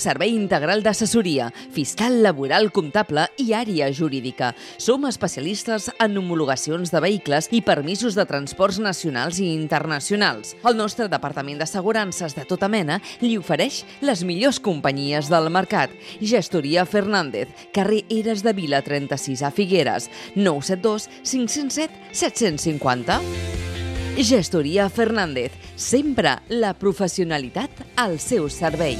Servei integral d'assessoria, fiscal, laboral, comptable i àrea jurídica. Som especialistes en homologacions de vehicles i permisos de transports nacionals i internacionals. El nostre departament d'assegurances de tota mena li ofereix les millors companyies del mercat. Gestoria Fernández, carrer Eres de Vila 36 a Figueres, 972 507 750. Gestoria Fernández, sempre la professionalitat al seu servei.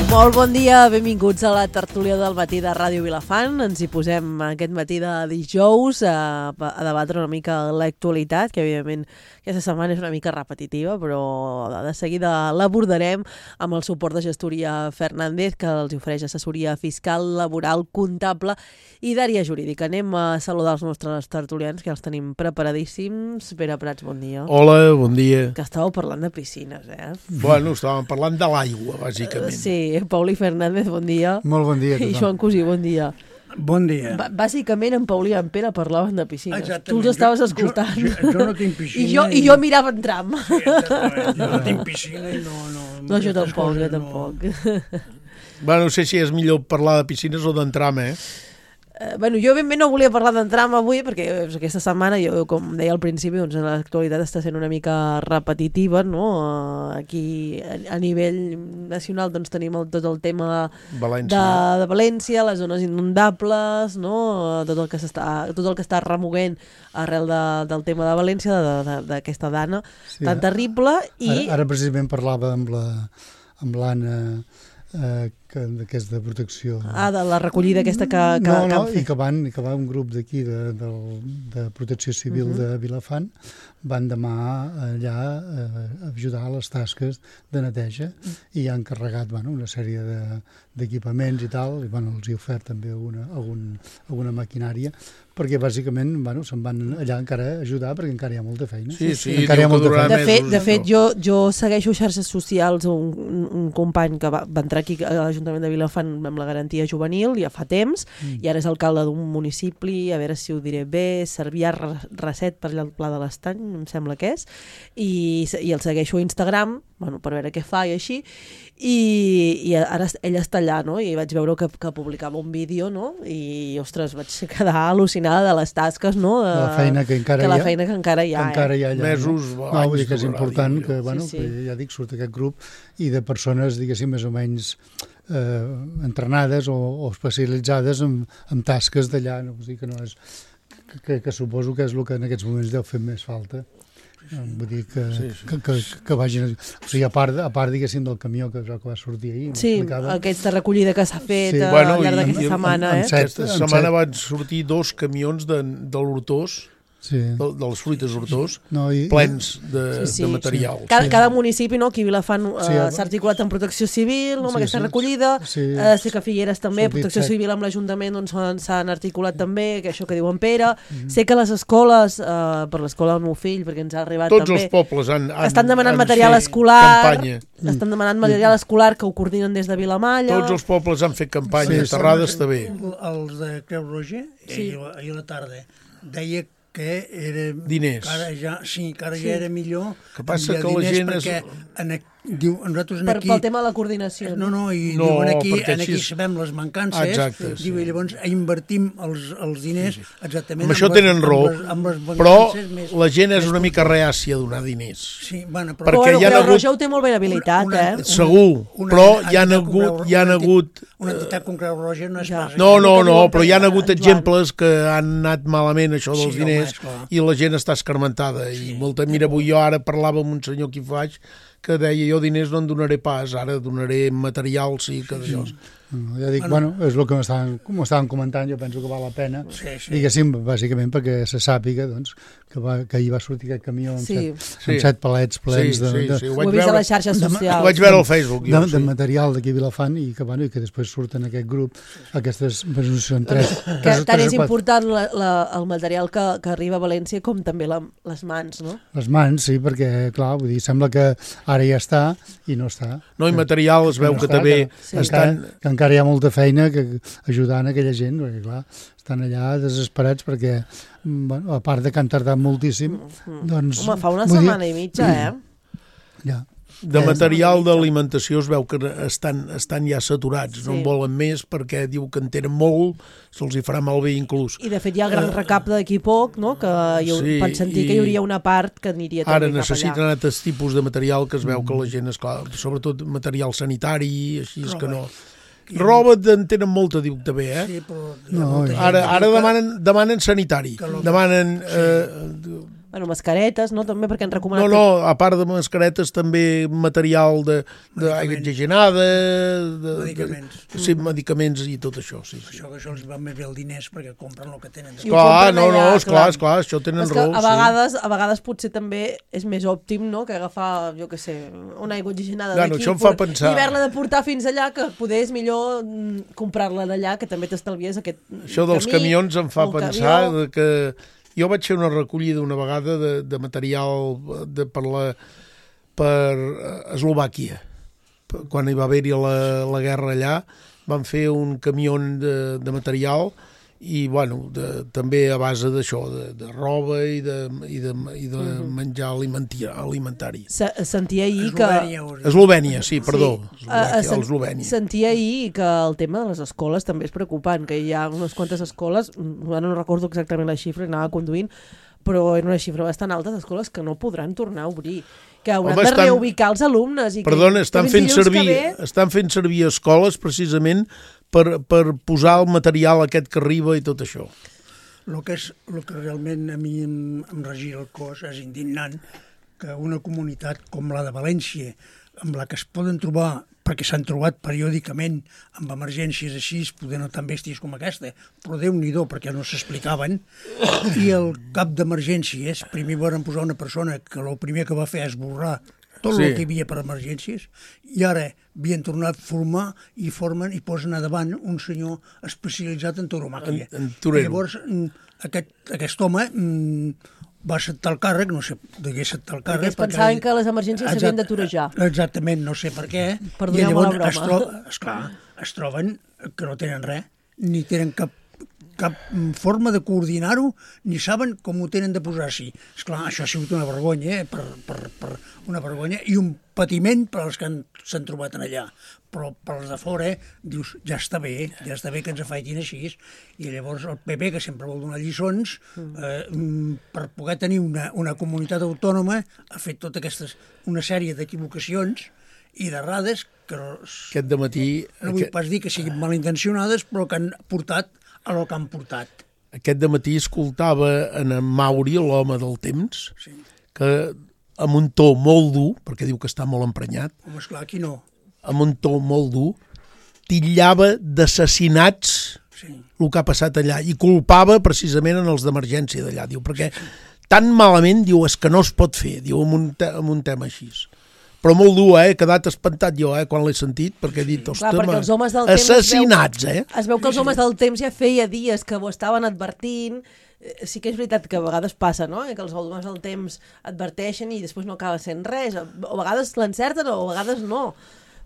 Molt bon dia, benvinguts a la tertúlia del matí de Ràdio Vilafant. Ens hi posem aquest matí de dijous a debatre una mica l'actualitat, que evidentment aquesta setmana és una mica repetitiva, però de seguida l'abordarem amb el suport de Gestoria Fernández, que els ofereix assessoria fiscal, laboral, comptable i d'àrea jurídica. Anem a saludar els nostres tertulians, que els tenim preparadíssims. Pere Prats, bon dia. Hola, bon dia. Que estàveu parlant de piscines, eh? Bueno, estàvem parlant de l'aigua, bàsicament. Sí, Pauli Fernández, bon dia. Molt bon dia a tothom. I Joan Cosí, bon dia. Bon dia. Bàsicament en Pauli i en Pere parlaven de piscines. Exactament. Tu els estaves escoltant. Jo no tinc piscina. I jo mirava en tram. Sí, exactament. Jo no tinc piscina i no... No, jo tampoc. Bueno, no sé si és millor parlar de piscines o d'entram, Bueno, jo ben bé no volia parlar d'entram avui perquè aquesta setmana, jo, com deia al principi, doncs l'actualitat està sent una mica repetitiva, no? Aquí a nivell nacional doncs tenim tot el tema de València, les zones inundables, no? Tot el que està remoguent arrel del tema de València, d'aquesta dana tan terrible. I ara precisament parlava amb l'Anna, que és de protecció. De la recollida aquesta que i que va un grup d'aquí de protecció civil de Vilafant, van demà allà a ajudar a les tasques de neteja i han carregat una sèrie d'equipaments i tal, i els he ofert també alguna maquinària, perquè bàsicament se'n van allà encara a ajudar perquè encara hi ha molta feina. Sí, encara hi ha molta feina. De fet, jo segueixo xarxes socials un company que va entrar aquí a l'Ajuntament de Vilafant amb la garantia juvenil ja fa temps, i ara és alcalde d'un municipi, a veure si ho diré bé, Cervià Reset per allà al Pla de l'Estany, em sembla que és, i el segueixo a Instagram, per veure què fa i així, i ara ell està allà, no? I vaig veure que publicava un vídeo, no? I, ostres, vaig quedar al·lucinada de les tasques, no? De la feina que encara hi ha. Mesos, anys. Vull dir que és important que, ja dic, surt aquest grup i de persones, diguéssim, més o menys entrenades o especialitzades en tasques d'allà, no? Vull dir que no és... que suposo que és el que en aquests moments deu fer més falta. Vull dir que vagin... O sigui, a part diguéssim, del camió que va sortir ahir. Sí, aquesta recollida que s'ha fet al llarg d'aquesta setmana. Aquesta setmana van sortir 2 camions de l'Hortós, de les fruites Hortós, plens de material. Cada municipi, aquí a Vilafant s'ha articulat en protecció civil, amb aquesta recollida. Sé que a Figueres també, protecció civil amb l'Ajuntament s'han articulat també, això que diu en Pere. Sé que les escoles, per l'escola del meu fill, perquè ens ha arribat també... Tots els pobles estan demanant material escolar, estan demanant material escolar que ho coordinen des de Vilamalla. Tots els pobles han fet campanya, Terrada està bé. Els de Creu Roja, ahir a la tarda, deia que era... Diners. Que ara ja era millor. Que passa que la gent és... Pel tema de la coordinació. Diuen aquí sabem les mancances, i llavors invertim els diners exactament... Amb això tenen raó, però la gent és una mica reàcia a donar diners. Però Creu Roja ho té molt ben habilitat, Segur, però hi ha hagut... Una entitat com Creu Roja no és pas... No, però hi ha hagut exemples que han anat malament això dels diners i la gent està escarmentada. Mira, avui jo ara parlava amb un senyor que hi faig que deia, jo diners no en donaré pas, ara donaré material, sí que d'allò. Ja dic, és el que m'estaven comentant, jo penso que val la pena, diguéssim, bàsicament perquè se sàpiga que ahir va sortir aquest camió amb 7 palets plens de... Ho he vist a les xarxes socials. Ho vaig veure al Facebook. De material d'aquí a Vilafant i que després surten aquest grup, aquestes són 3. Tant és important el material que arriba a València com també les mans, no? Les mans, sí, perquè, clar, vull dir, sembla que ara ja està i no està. No, i material es veu que també estan... Que encara hi ha molta feina ajudant aquella gent, perquè clar, estan allà desesperats perquè, a part de que han tardat moltíssim, doncs... Home, fa una setmana i mitja, Ja. De material d'alimentació es veu que estan ja saturats, no en volen més perquè diu que en tenen molt, se'ls hi farà malbé inclús. I de fet hi ha el gran recapte d'aquí poc, no? Que van sentir que hi hauria una part que aniria també cap allà. Ara necessiten altres tipus de material que es veu que la gent, esclar, sobretot material sanitari, així és que no... Roba en tenen molta, diu també, eh? Sí, però... Ara demanen sanitari, demanen... Bueno, mascaretes, no? També perquè han recomanat... No, a part de mascaretes, també material d'aigua oxigenada... Medicaments. Sí, medicaments i tot això, sí. Això els va més bé els diners perquè compren el que tenen. Esclar, això tenen raó. A vegades potser també és més òptim, no?, que agafar, jo què sé, una aigua oxigenada d'aquí i haver-la de portar fins allà, que poder és millor comprar-la d'allà, que també t'estalvies aquest camí. Això dels camions em fa pensar que... Jo vaig fer una recollida una vegada de material per Eslovàquia. Quan hi va haver-hi la guerra allà, van fer un camió de material i, bueno, també a base d'això, de roba i de menjar alimentari. Sentia ahir que... Eslovènia, sí, perdó. Eslovènia. Sentia ahir que el tema de les escoles també és preocupant, que hi ha unes quantes escoles, ara no recordo exactament la xifra, anava conduint, però era una xifra bastant alta d'escoles que no podran tornar a obrir, que hauran de reubicar els alumnes. Perdona, estan fent servir escoles precisament per posar el material aquest que arriba i tot això. El que realment a mi em regira el cos és indignant que una comunitat com la de València, amb la que es poden trobar, perquè s'han trobat periòdicament amb emergències així, poder no tan bèsties com aquesta, però Déu-n'hi-do, perquè no s'explicaven, i el cap d'emergències, primer van posar una persona que el primer que va fer és esborrar tot el que hi havia per emergències, i ara havien tornat a formar i formen i posen a davant un senyor especialitzat en tauromàquia. Llavors, aquest home va acceptar el càrrec, no sé de què acceptar el càrrec. Perquè pensaven que les emergències s'havien d'aturejar. Exactament, no sé per què. Perdoneu-me la broma. Es troben que no tenen res, ni tenen cap forma de coordinar-ho, ni saben com ho tenen de posar així. Esclar, això ha sigut una vergonya, una vergonya i un patiment per als que s'han trobat allà. Però per als de fora, dius, ja està bé que ens afaitin així. I llavors el PP, que sempre vol donar lliçons, per poder tenir una comunitat autònoma, ha fet una sèrie d'equivocacions i d'errades que aquest dematí... No vull pas dir que siguin malintencionades, però que han portat a lo que han portat. Aquest dematí escoltava en Mauri, l'home del temps, que amb un to molt dur, perquè diu que està molt emprenyat, home, esclar, aquí no, amb un to molt dur, titllava d'assassinats el que ha passat allà i culpava precisament en els d'emergència d'allà, diu, perquè tan malament, diu, és que no es pot fer, diu, amb un tema així. Però molt dur, he quedat espantat jo, quan l'he sentit, perquè he dit, ostres, assassinats, Es veu que els homes del temps ja feia dies que ho estaven advertint. Sí que és veritat que a vegades passa, no?, que els homes del temps adverteixen i després no acaba sent res. A vegades l'encerten o a vegades no.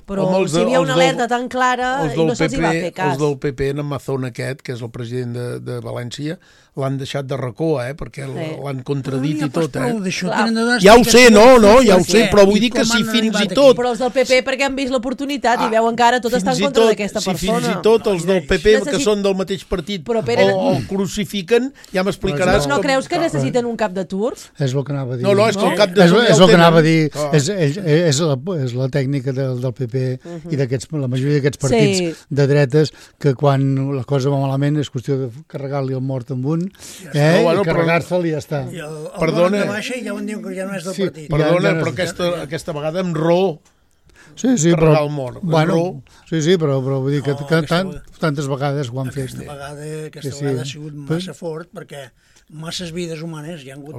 Però si hi havia una alerta tan clara i no se'ls va fer cas. Els del PP, en Mazón aquest, que és el president de València, l'han deixat de racó, perquè l'han contradit i tot. Ja ho sé, ja ho sé, però vull dir que si fins i tot... Però els del PP perquè han vist l'oportunitat i veuen que ara tot està en contra d'aquesta persona. Si fins i tot els del PP, que són del mateix partit, o crucifiquen, ja m'explicaràs... No creus que necessiten un cap de turc? És el que anava a dir. No, és que el cap de turc... És el que anava a dir. És la tècnica del PP i la majoria d'aquests partits de dretes, que quan la cosa va malament és qüestió de carregar-li el mort amb un, i carregar-se'l i ja està. I el mort de baixa ja ho diuen que ja no és del partit. Perdona, però aquesta vegada amb raó carregar el mort. Sí, però vull dir que tantes vegades ho han fet. Aquesta vegada ha sigut massa fort, perquè masses vides humanes, hi ha hagut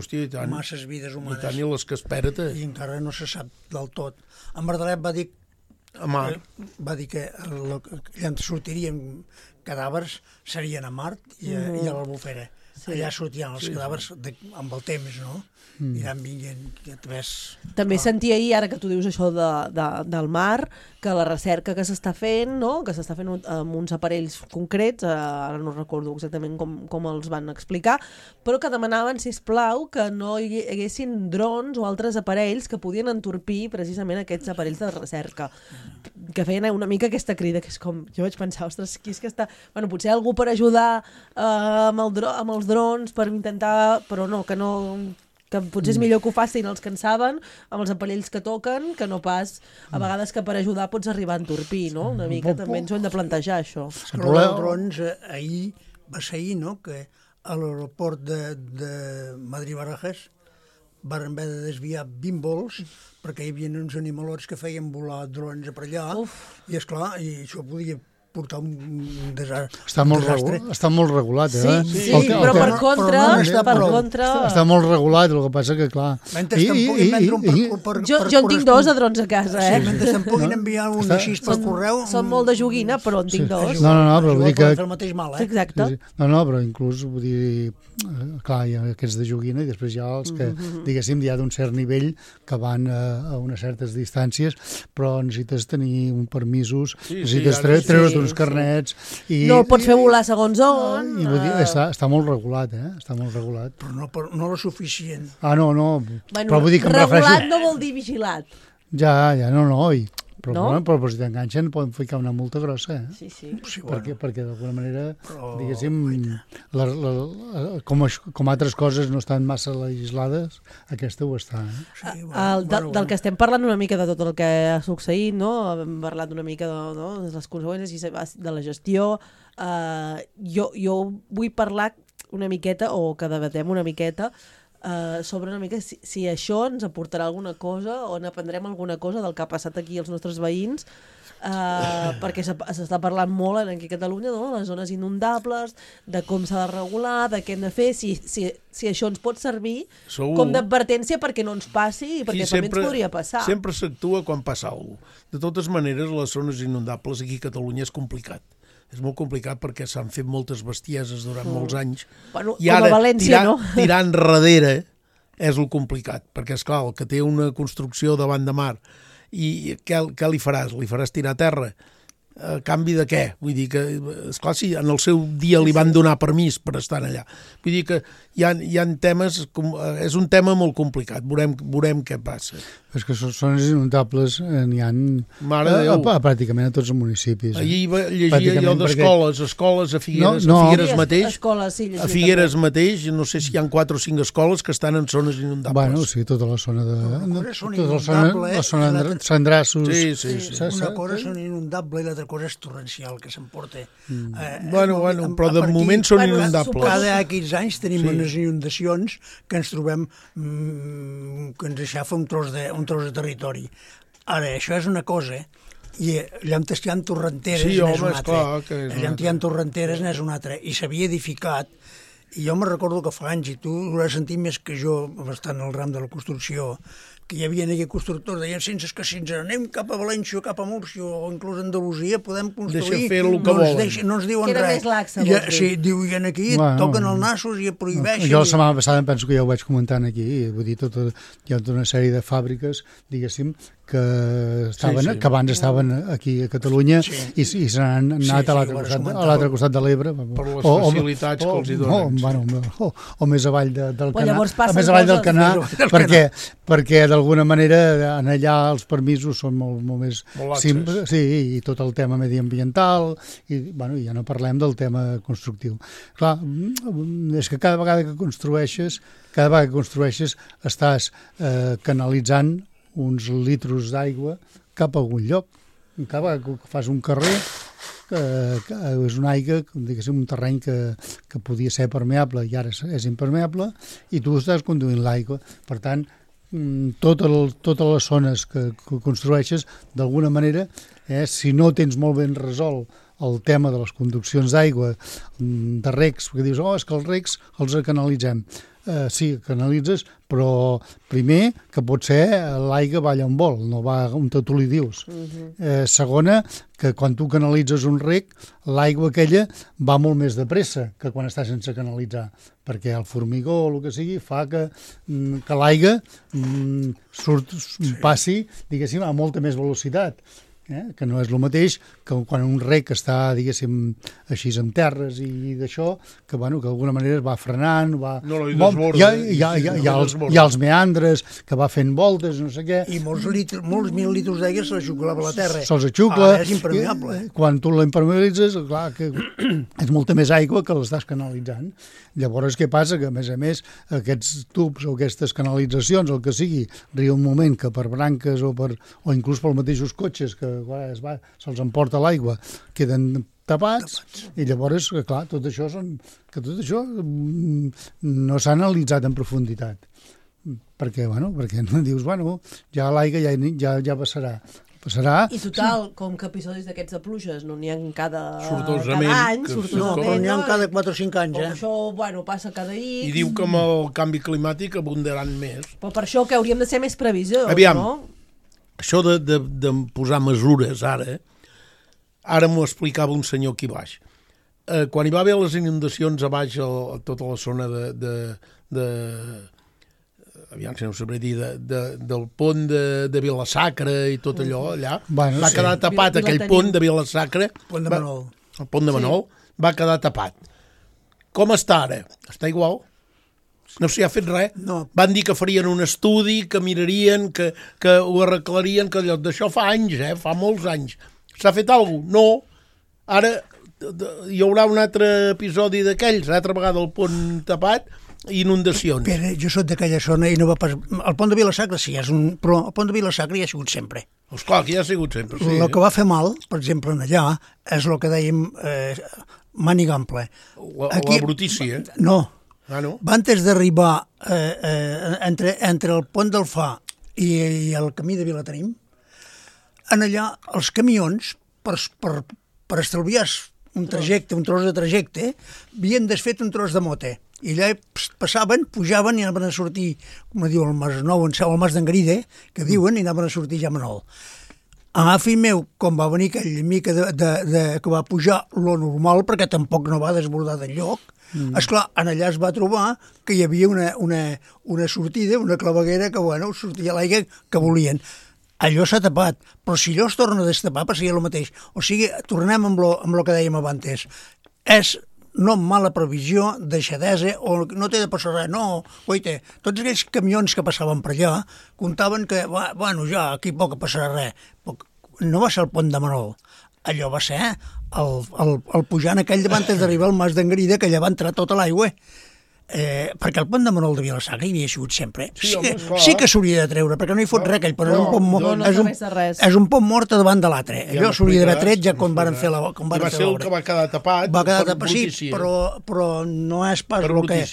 masses vides humanes. I tant, i les que espera't. I encara no se sap del tot. En Verdalet va dir que allà sortirien cadàvers, serien a Mart i a l'Albufera. allà sortien els cadàvers amb el temps, no? Aniran vinguent, ja et ves... També sentia ahir, ara que tu dius això del mar, que la recerca que s'està fent, no? Que s'està fent amb uns aparells concrets, ara no recordo exactament com els van explicar, però que demanaven, sisplau, que no hi haguessin drons o altres aparells que podien entorpir precisament aquests aparells de recerca, que feien una mica aquesta crida, que és com, jo vaig pensar, ostres, qui és que està... Bueno, potser algú per ajudar amb els drons, per intentar... Però no, que potser és millor que ho facin els que en saben, amb els aparells que toquen, que no pas a vegades que per ajudar pots arribar a entorpir, no? Una mica també ens ho hem de plantejar, això. El problema dels drons, ahir, va ser ahir, no?, que a l'aeroport de Madrid-Barajas van haver de desviar 20 vols perquè hi havia uns animalots que feien volar drons per allà. I, esclar, i això podia portar un desastre. Està molt regulat, eh? Sí, però per contra... Està molt regulat, el que passa que, clar... Mentre te'n puguin vendre Jo en tinc 2 de drons a casa, eh? Sí, mentre te'n puguin enviar un així per correu... Són molt de joguina, però en tinc 2. No, però vull dir que... el mateix mal, eh? Exacte. No, però inclús, vull dir... Clar, hi ha aquests de joguina i després hi ha els que, diguéssim, hi ha d'un cert nivell que van a unes certes distàncies, però necessites tenir un permisos, necessites treure't uns carnets... No el pots fer volar segons on... I vull dir, està molt regulat, eh? Està molt regulat. Però no lo suficient. No, però vull dir que em refereixo... Regulat no vol dir vigilat. Ja, però si t'enganxen poden ficar una multa grossa, eh? Sí. Perquè d'alguna manera, diguéssim, com altres coses no estan massa legislades, aquesta ho està. Del que estem parlant una mica de tot el que ha succeït, no? Hem parlat una mica de les conseqüències de la gestió. Jo vull parlar una miqueta, o que debatem una miqueta, sobre una mica si això ens aportarà alguna cosa o n'aprendrem alguna cosa del que ha passat aquí als nostres veïns, perquè s'està parlant molt aquí a Catalunya, no? Les zones inundables, de com s'ha de regular, de què hem de fer, si això ens pot servir com d'advertència perquè no ens passi i perquè també ens podria passar. Sempre s'actua quan passa alguna cosa. De totes maneres, les zones inundables aquí a Catalunya és complicat. És molt complicat perquè s'han fet moltes bestieses durant molts anys. Bueno, i ara, com a València, tirar enrere és el complicat, perquè, esclar, el que té una construcció davant de mar, i què li faràs? Li faràs tirar a terra? A canvi de què? Vull dir que, esclar, si en el seu dia li van donar permís per estar allà. Vull dir que hi ha temes, és un tema molt complicat, veurem què passa. És que zones inundables n'hi ha pràcticament a tots els municipis. Ahir llegia jo d'escoles a Figueres, a Figueres mateix, a Figueres mateix, no sé si hi ha 4 o 5 escoles que estan en zones inundables. Bueno, sí, tota la zona de... La zona de Sandrassos... Una cosa són inundable i l'altra cosa és torrencial, que s'emporta. Bueno, però de moment són inundables. Cada aquests anys tenim unes inundacions que ens trobem que ens aixafa un tros de territori. Ara, això és una cosa, i allà on hi ha torrenteres n'és una altra. Allà on hi ha torrenteres n'és una altra. I s'havia edificat, i jo me recordo que fa anys, i tu ho has sentit més que jo, bastant al ram de la construcció, que hi havia aquells constructors, deien, sense que si ens anem cap a València, cap a Múrcia o inclús a Andalusia, podem construir, no ens diuen res. Sí, diuen aquí, toquen el nassos i prohibeixen. Jo la setmana passada penso que ja ho vaig comentant aquí, vull dir, hi ha tota una sèrie de fàbriques, diguéssim, que abans estaven aquí a Catalunya i se n'han anat a l'altre costat de l'Ebre. Per les facilitats que els hi donen. O més avall del Canà, perquè d'alguna manera en allà els permisos són molt més simples, i tot el tema mediambiental, i ja no parlem del tema constructiu. Clar, és que cada vegada que construeixes estàs canalitzant uns litros d'aigua cap a algun lloc. Cada vegada que fas un carrer, que és una aigua, diguéssim, un terreny que podia ser permeable i ara és impermeable, i tu estàs conduint l'aigua. Per tant, totes les zones que construeixes, d'alguna manera, si no tens molt ben resolt el tema de les conduccions d'aigua, de recs, perquè dius, és que els recs els canalitzem. sí, canalitzes, però primer que potser l'aigua va allà on vol, no va on tu li dius. Segona, que quan tu canalitzes un rec, l'aigua aquella va molt més de pressa que quan està sense canalitzar, perquè el formigó o el que sigui fa que l'aigua passi, diguéssim, a molta més velocitat. Que no és el mateix que quan un rec està, diguéssim, així en terres i d'això, que d'alguna manera es va frenant, hi ha els meandres, que va fent voltes, no sé què. I molts mil litres d'aigua se l'aixuclava a la terra. Se'ls aixucla. Ara és impermeable. Quan tu l'impermeabilitzes, clar, que és molta més aigua que l'estàs canalitzant. Llavors, què passa? Que, a més, aquests tubs o aquestes canalitzacions, el que sigui, arriba un moment que per branques o inclús pels mateixos cotxes que se'ls emporta l'aigua, queden tapats i llavors, clar, tot això no s'ha analitzat en profunditat. Perquè dius, ja l'aigua ja passarà. I total, com que episodis d'aquests de pluges no n'hi ha cada any, no, però n'hi ha cada 4 o 5 anys, Això, passa cada X. I diu que amb el canvi climàtic abundaran més. Però per això que hauríem de ser més previsors, Aviam, no? Això de posar mesures ara m'ho explicava un senyor aquí baix. Quan hi va haver les inundacions a baix a tota la zona aviam si no ho sabré dir, del pont de Vila-sacra i tot allò, allà, va quedar tapat aquell pont de Vila-sacra, el pont de Manol, va quedar tapat. Com està ara? Està igual. No s'hi ha fet res. No. Van dir que farien un estudi, que mirarien, que ho arreglarien, que d'això fa anys, fa molts anys. S'ha fet alguna cosa? No. Ara hi haurà un altre episodi d'aquells, altra vegada el pont tapat, inundacions. Però jo soc d'aquella zona i no va pas... El pont de Vila-sacra sí, però el pont de Vila-sacra hi ha sigut sempre. Esclar, que hi ha sigut sempre, sí. El que va fer mal, per exemple, allà, és el que dèiem Manigample. La brutícia. No. No? Va antes d'arribar entre el pont del Fa i el camí de Vilatenim, en allà els camions, per estalviar un trajecte, un tros de trajecte, havien desfet un tros de mote. I allà passaven, pujaven i anaven a sortir, com diu el Mas Nou, el Mas d'Engaride, que diuen, i anaven a sortir ja a Manol. A fill meu, com va venir aquell mica que va pujar lo normal, perquè tampoc no va desbordar d'enlloc, esclar, en allà es va trobar que hi havia una sortida, una claveguera que, sortia l'aigua que volien. Allò s'ha tapat, però si allò es torna a destapar passaria el mateix. O sigui, tornem amb lo que dèiem abans. És no mala previsió, deixadesa, o no té de passar res, no, oita, tots aquells camions que passaven per allà comptaven que, ja, aquí poc passarà res. No va ser el pont de Manol, allò va ser el pujant aquell davant d'arribar al Mas d'Engarida, que allà va entrar tota l'aigua. Perquè el pont de Manol de Vila-sacra hi havia sigut sempre. Sí que s'hauria de treure, perquè no hi fot res aquell pont. És un pont mort davant de l'altre. Allò s'hauria d'haver tret ja quan van fer l'obra. Va ser el que va quedar tapat. Va quedar tapat, sí, però no és pas el que...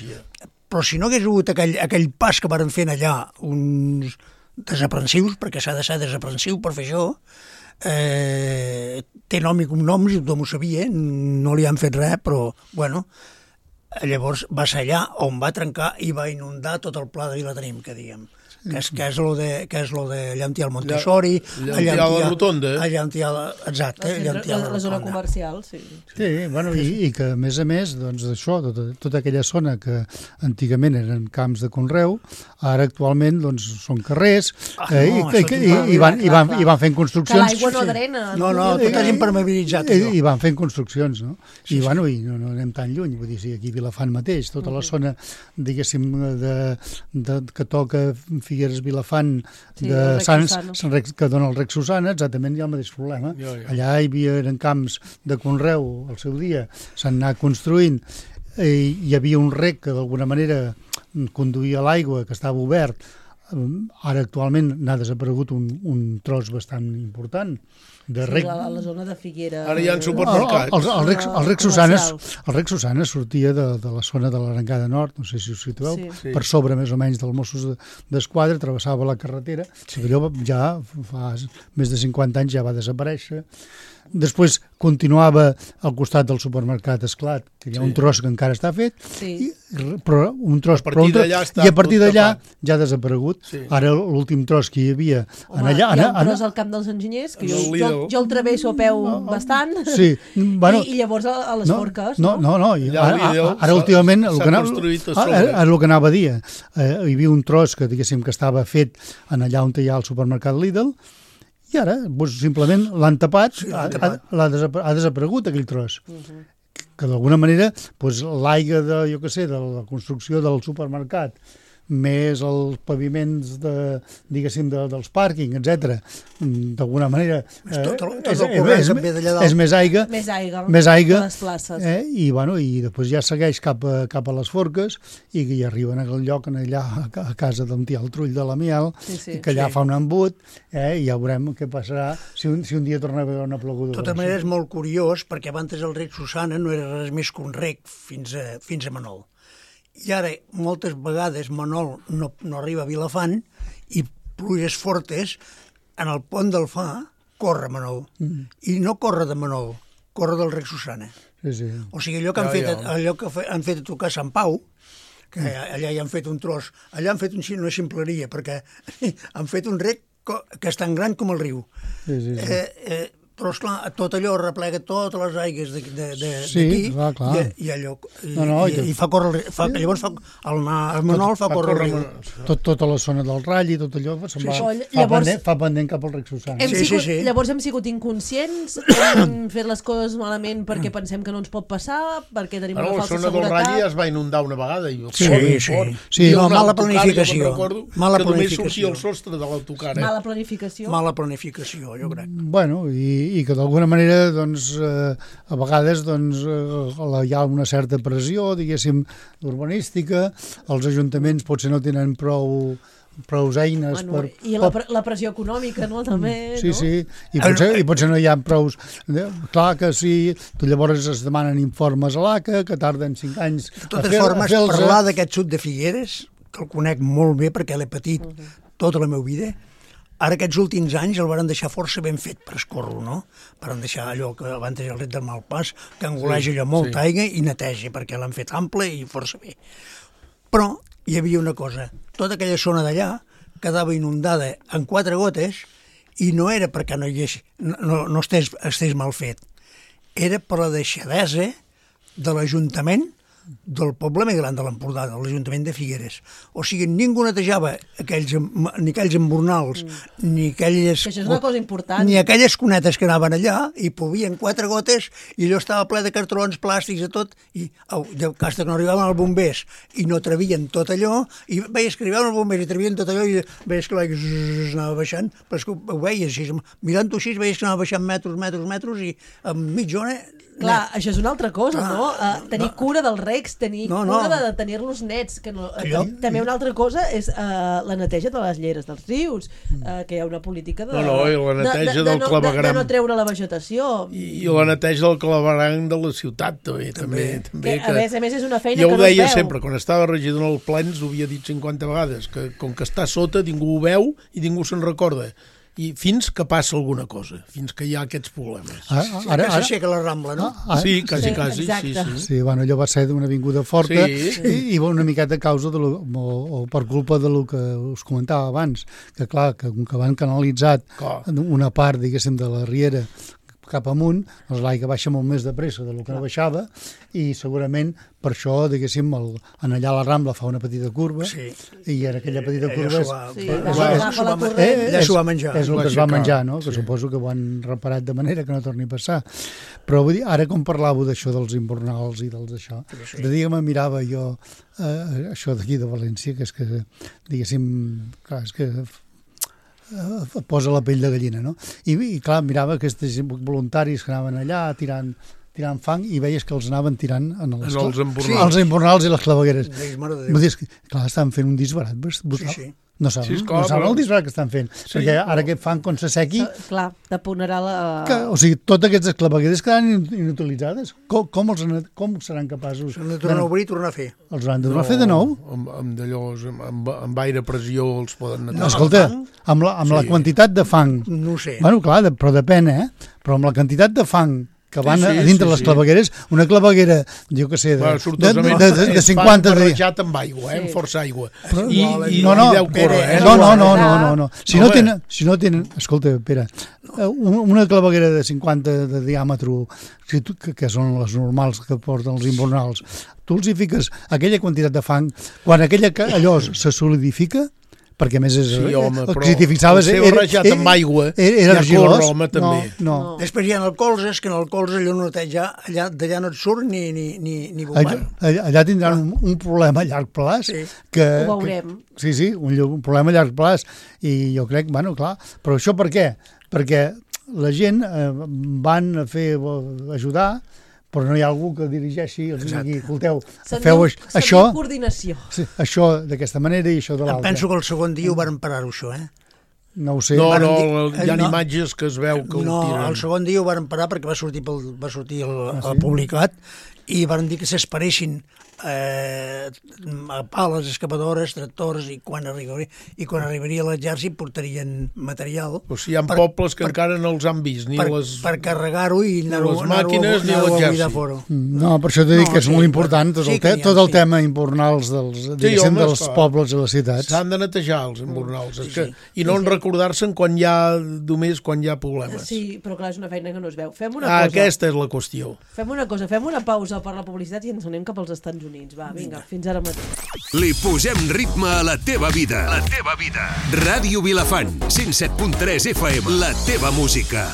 Però si no hagués hagut aquell pas que van fer allà, uns desaprensius, perquè s'ha de ser desaprensiu per fer això, té nom i cognoms, i tothom ho sabia, no li han fet res, però, llavors va ser allà on va trencar i va inundar tot el pla de Vilatenim, que diguem. Que és lo de Llantial Montessori, Llantial la Rotonda. Exacte. La zona comercial, sí. Sí, i que a més, doncs això, tota aquella zona que antigament eren camps de conreu, ara actualment doncs són carrers i van fent construccions. Que l'aigua no drena. No, tot és impermeabilitzat. I van fent construccions, no? I no anem tan lluny, vull dir, aquí a Vilafant mateix, tota la zona, diguéssim, que toca Figueres, Vilafant, de Sants, que dona el rec Susana, exactament hi ha el mateix problema. Allà eren camps de conreu al seu dia, s'han anat construint, hi havia un rec que d'alguna manera conduïa l'aigua, que estava obert. Ara actualment n'ha desaparegut un tros bastant important de rec. A la zona de Figueres. Ara hi ha supermercats. El rec Susana sortia de la zona de l'Arengada Nord, no sé si us situeu, per sobre més o menys del Mossos d'Esquadra, travessava la carretera, allò ja fa més de 50 anys ja va desaparèixer. Després continuava al costat del supermercat Esclat, que hi ha un tros que encara està fet, però un tros... I a partir d'allà ja ha desaparegut. Sí. Ara l'últim tros que hi havia... Home, hi ha un tros al Camp dels Enginyers, que jo el travesso a peu bastant, sí. Bueno, i llavors a les forques. No. Ara últimament, el que anava a dir, hi havia un tros que, diguéssim, que estava fet en allà on hi ha el supermercat Lidl, i ara, simplement l'han tapat, ha desaparegut aquell tros. Que d'alguna manera, l'aigua de la construcció del supermercat, més els paviments dels pàrquing, etc. D'alguna manera és més aigua a les places. I després ja segueix cap a les forques i arriben a aquell lloc allà a casa d'on hi ha el trull de la miel, que allà fa un embut, i ja veurem què passarà si un dia torna a haver una ploguda. De tota manera és molt curiós, perquè abans el rec Susana no era res més que un rec fins a Manol. I ara, moltes vegades, Manol no arriba a Vilafant i pluges fortes, en el pont del Fà corre Manol. I no corre de Manol, corre del rec Susana. Sí. O sigui, allò que han fet a tocar Sant Pau, que allà hi han fet un tros, allà han fet una ximpleria, perquè han fet un rec que és tan gran com el riu. Sí. Però, esclar, tot allò replega totes les aigues d'aquí i allò... I fa córrer... Llavors, el Manol fa córrer el riu. Tota la zona del Rall i tot allò fa pendent cap al rec Susana. Llavors hem sigut inconscients, hem fet les coses malament perquè pensem que no ens pot passar, perquè tenim una falsa seguretat... La zona del Rall ja es va inundar una vegada. Sí. Mala planificació. Que només sortia el sostre de l'autocar. Mala planificació. Mala planificació, jo crec. Bueno, i que d'alguna manera a vegades hi ha una certa pressió, diguéssim, urbanística, els ajuntaments potser no tenen prou eines i la pressió econòmica, no? També, sí, i potser no hi ha prous... Clar que sí, llavors es demanen informes a l'ACA, que tarden 5 anys de totes formes, parlar d'aquest sud de Figueres, que el conec molt bé perquè l'he patit tota la meva vida. Ara aquests últims anys el van deixar força ben fet per escórrer, no? Van deixar allò que abans el rec del Malpàs, que engoleix allò molta aigua i neteja, perquè l'han fet ample i força bé. Però hi havia una cosa, tota aquella zona d'allà quedava inundada en 4 gotes i no era perquè no estés mal fet, era per la deixadesa de l'Ajuntament del poble més gran de l'Empordà, de l'Ajuntament de Figueres. O sigui, ningú netejava ni aquells embornals, ni aquelles... Això és una cosa important. Ni aquelles cunetes que anaven allà, i plovien 4 gotes, i allò estava ple de cartrons, plàstics, de tot, i hasta que no arribaven els bombers, i no trevien tot allò, i veies que arribaven els bombers i trevien tot allò, i veies que l'aigua anava baixant, però és que ho veies així, mirant-ho així, veies que anava baixant metres, i en mitja hora... Clar, això és una altra cosa, no? Tenir cura dels recs, tenir cura de tenir-los nets. També una altra cosa és la neteja de les lleres dels rius, que hi ha una política de no treure la vegetació. I la neteja del clavegueram de la ciutat, també. A més és una feina que no es veu. Jo ho deia sempre, quan estava regidor en el Plens, ho havia dit 50 vegades, que com que està sota ningú ho veu i ningú se'n recorda. I fins que passa alguna cosa, fins que hi ha aquests problemes. Ara s'aixeca la Rambla, no? Sí, quasi. Sí, bueno, allò va ser d'una avinguda forta i una miqueta a causa o per culpa del que us comentava abans, que clar, que van canalitzat una part, diguéssim, de la riera cap amunt, doncs l'aigua baixa molt més de pressa del que no baixava i segurament per això, diguéssim, en allà la Rambla fa una petita curva i en aquella petita curva ja s'ho va menjar. És el que es va menjar, no? Que suposo que ho han reparat de manera que no torni a passar. Però vull dir, ara com parlàveu d'això dels invernals i dels això, de dia me mirava jo això d'aquí de València, que és que, diguéssim, clar, és que posa la pell de gallina, no? I clar, mirava aquests voluntaris que anaven allà tirant tirant fang i veies que els anaven tirant els embornals i les clavegueres. Vull dir, clar, estaven fent un disbarat brutal. Sí. No saben el disbarat que estan fent, perquè ara aquest fang, quan s'assequi... Clar, deponarà la... O sigui, totes aquestes clavegueres quedaran inutilitzades. Com seran capaços... S'han de tornar a obrir i tornar a fer. Els han de tornar a fer de nou? Amb aire pressió els poden netejar. No, escolta, amb la quantitat de fang... No ho sé. Bueno, clar, però depèn, Però amb la quantitat de fang que van a dintre les clavegueres, una claveguera, jo què sé, de 50... barrejat amb aigua, amb força aigua. I no, deu córrer, no. Si no tenen... Escolta, Pere, una claveguera de 50 de diàmetre, que són les normals que porten els invernals, tu els hi fiques aquella quantitat de fang, quan allò se solidifica, perquè a més és... Sí, home, però si t'hi fixaves, el seu barrejat amb aigua era argilós. Home, també. No. Després hi ha el colze, que en el colze allò no d'allà no et surt ni bombant. Allà tindran un problema a llarg plaç. Ho veurem. Sí, un problema a llarg plaç. I jo crec, bueno, clar, però això per què? Perquè la gent van a ajudar, però no hi ha algú que dirigeixi, els digui, escolteu, feu això, coordinació. Això d'aquesta manera i això de l'altra. Em penso que el segon dia ho van parar-ho, això, No ho sé. No, hi ha imatges que es veu que ho tiren. No, el segon dia ho van parar perquè va sortir el publicat i van dir que s'esperessin a pales, excavadores, tractors, i quan arribaria l'exèrcit portarien material. O sigui, hi ha pobles que encara no els han vist, per carregar-ho i anar-ho les màquines ni l'exèrcit. No, per això t'he dit que és molt important tot el tema invernals dels pobles i les ciutats. S'han de netejar els invernals i no recordar-se'n quan hi ha problemes. Sí, però clar, és una feina que no es veu. Fem una cosa. Aquesta és la qüestió. Fem una pausa per la publicitat i ens anem cap als Estats Units. Va, vinga, fins ara mateix. Li posem ritme a la teva vida. La teva vida. Ràdio Vilafant, 107.3 FM. La teva música.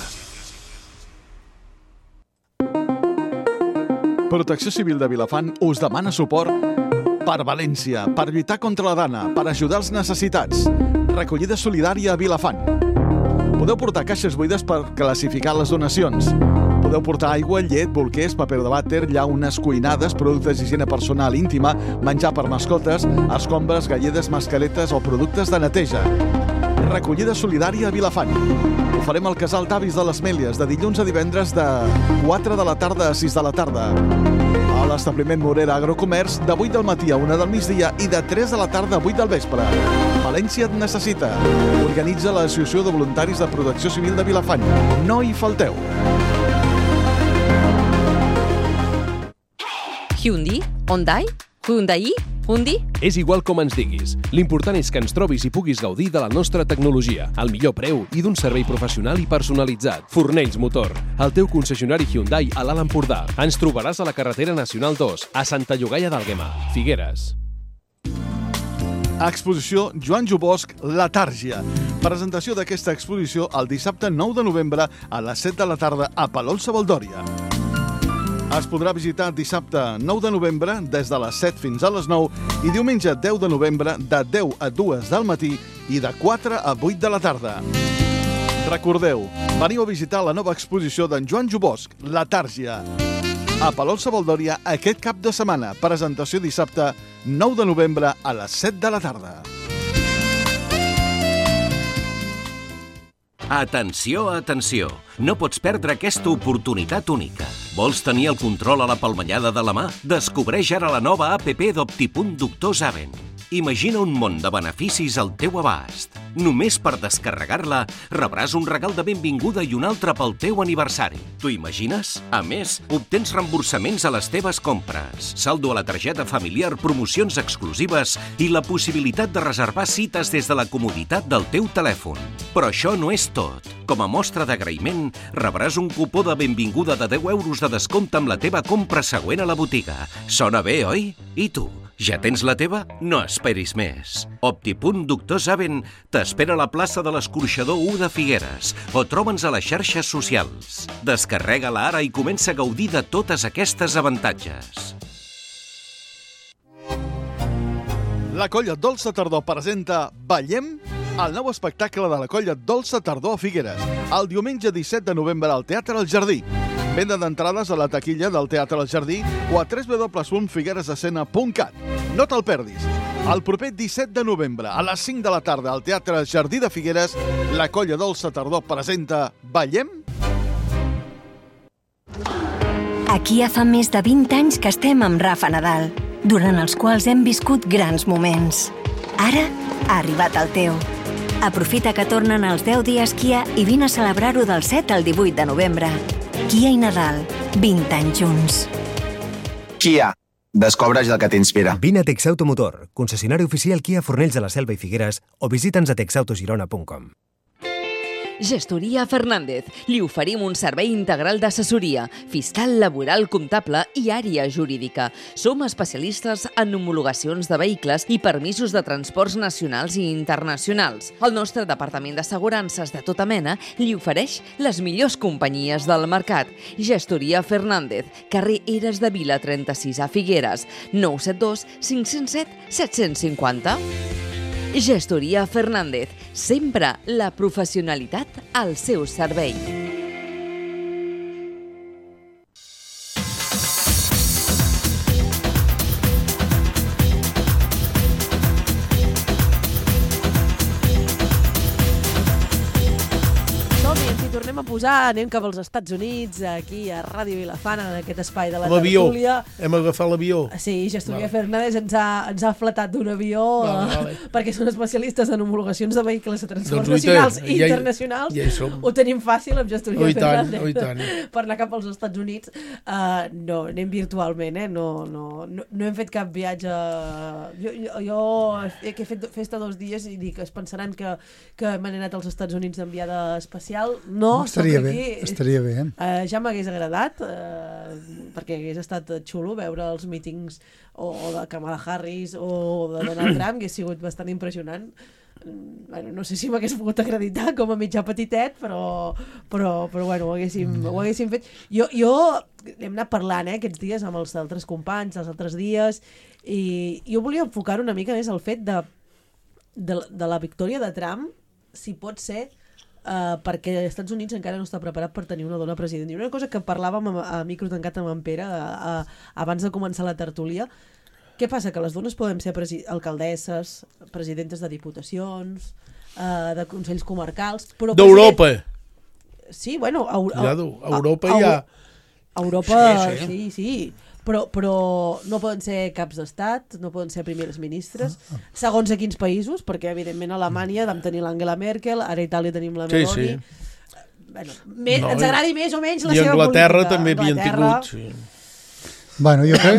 Protecció Civil de Vilafant us demana suport per València, per lluitar contra la dana, per ajudar els necessitats. Recollida solidària a Vilafant. Podeu portar caixes buides per classificar les donacions. Podeu portar aigua, llet, bolquers, paper de vàter, llaunes, cuinades, productes d'higiene personal íntima, menjar per mascotes, escombres, galledes, mascaretes o productes de neteja. Recollida solidària a Vilafant. Ho farem al Casal d'Avis de les Mèlies, de dilluns a divendres de 4 de la tarda a 6 de la tarda. A l'establiment Morera Agrocomerç, de 8 del matí a 1 del migdia i de 3 de la tarda a 8 del vespre. València et necessita. Organitza l'Associació de Voluntaris de Protecció Civil de Vilafant. No hi falteu. Hyundai? Hyundai? És igual com ens diguis. L'important és que ens trobis i puguis gaudir de la nostra tecnologia, al millor preu i d'un servei professional i personalitzat. Fornells Motor, el teu concessionari Hyundai a l'Alt Empordà. Ens trobaràs a la carretera Nacional 2, a Santa Llogaia d'Àlguema, Figueres. Exposició Joan Jubosc, La Tàrgia. Presentació d'aquesta exposició el dissabte 9 de novembre a les 7 de la tarda a Palol-Savaldòria. Es podrà visitar dissabte 9 de novembre des de les 7 fins a les 9 i diumenge 10 de novembre de 10 a 2 del matí i de 4 a 8 de la tarda. Recordeu, veniu a visitar la nova exposició d'en Joan Jubosc, La Tàrgia. A Palol-Savaldòria aquest cap de setmana. Presentació dissabte 9 de novembre a les 7 de la tarda. Atenció, atenció! No pots perdre aquesta oportunitat única. Vols tenir el control a la palmellada de la mà? Descobreix ara la nova app d'Optipunt Doctor Zaven. Imagina un món de beneficis al teu abast. Només per descarregar-la rebràs un regal de benvinguda i un altre pel teu aniversari. T'ho imagines? A més, obtens reemborsaments a les teves compres, saldo a la targeta familiar, promocions exclusives i la possibilitat de reservar cites des de la comoditat del teu telèfon. Però això no és tot. Com a mostra d'agraïment, rebràs un cupó de benvinguda de 10 euros de descompte amb la teva compra següent a la botiga. Sona bé, oi? I tu? Ja tens la teva? No esperis més. Optipunt Doctor Zaven t'espera a la plaça de l'Escorxador 1 de Figueres o troba'ns a les xarxes socials. Descarrega-la ara i comença a gaudir de totes aquestes avantatges. La Colla Dolça Tardor presenta Ballem, el nou espectacle de la Colla Dolça Tardor a Figueres, el diumenge 17 de novembre al Teatre El Jardí. Venda d'entrades a la taquilla del Teatre El Jardí o a www.figueresdescena.cat. No te'l perdis. El proper 17 de novembre, a les 5 de la tarda, al Teatre Jardí de Figueres, la Colla Dolça Tardor presenta Ballem? Aquí ja fa més de 20 anys que estem amb Rafa Nadal, durant els quals hem viscut grans moments. Ara ha arribat el teu. Aprofita que tornen els 10 dies Kia i vine a celebrar-ho del 7 al 18 de novembre. Kia i Nadal, 20 anys junts. Kia, descobreix el que t'inspira. Vine a Texautomotor, concessionari oficial Kia Fornells de la Selva i Figueres, o visita'ns a texautogirona.com. Gestoria Fernández. Li oferim un servei integral d'assessoria, fiscal, laboral, comptable i àrea jurídica. Som especialistes en homologacions de vehicles i permisos de transports nacionals i internacionals. El nostre departament d'assegurances de tota mena li ofereix les millors companyies del mercat. Gestoria Fernández, carrer Eres de Vila 36 a Figueres, 972 507 750. Gestoria Fernández, sempre la professionalitat al seu servei. Tornem a posar, anem cap als Estats Units, aquí a Ràdio Vilafant, en aquest espai de la l'avió. tertúlia. Hem agafat l'avió. Sí, Gestoria Fernández ens ha fletat d'un avió perquè són especialistes en homologacions de vehicles de transports nacionals i internacionals. Ja hi som. Ho tenim fàcil amb Gestoria Fernández. I tant. Per anar cap als Estats Units. No, anem virtualment, no hem fet cap viatge. Jo he fet festa 2 dies i dic, es pensaran que m'he anat als Estats Units d'enviada especial. No, estaria bé. Ja m'hagués agradat, perquè hagués estat xulo veure els mítings o de Kamala Harris o de Donald Trump, que ha sigut bastant impressionant. Bueno, no sé si m'hagués pogut acreditar com a mitjà petitet, però bueno, ho haguéssim fet. Jo hem anat parlant aquests dies amb els altres companys, els altres dies, i jo volia enfocar una mica més el fet de la victòria de Trump, si pot ser, perquè els Estats Units encara no està preparat per tenir una dona president. I una cosa que parlàvem a micro tancat amb en Pere abans de començar la tertúlia, què passa? Que les dones podem ser alcaldesses, presidentes de diputacions, de consells comarcals... D'Europa! Sí, bueno... A Europa hi ha... A Europa, sí. Però no poden ser caps d'estat, no poden ser primeres ministres, segons a quins països, perquè evidentment a Alemanya vam tenir l'Angela Merkel, ara a Itàlia tenim la Meloni. Bueno, ens agradi més o menys la seva política. I Anglaterra també havien tingut, sí. Bueno, jo crec...